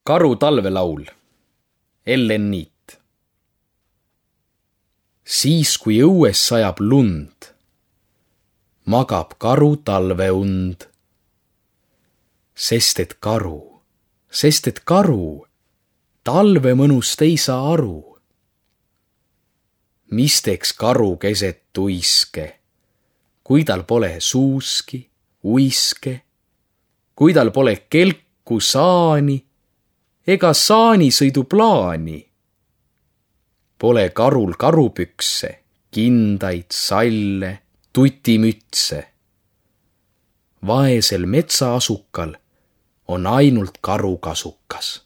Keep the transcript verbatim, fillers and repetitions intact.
Karu talvelaul. Ellen Niit. Siis, kui õues sajab lund, magab karu talveund. Sest et karu, sest et karu, talve mõnust ei saa aru. Mis teeks karu keset tuiske, kui tal pole suuski, uiske, kui tal pole kelku saani ega saanisõiduplaani. Pole karul karupükse, kindaid, salle, tutimütse. Vaesel metsaasukal on ainult karukasukas.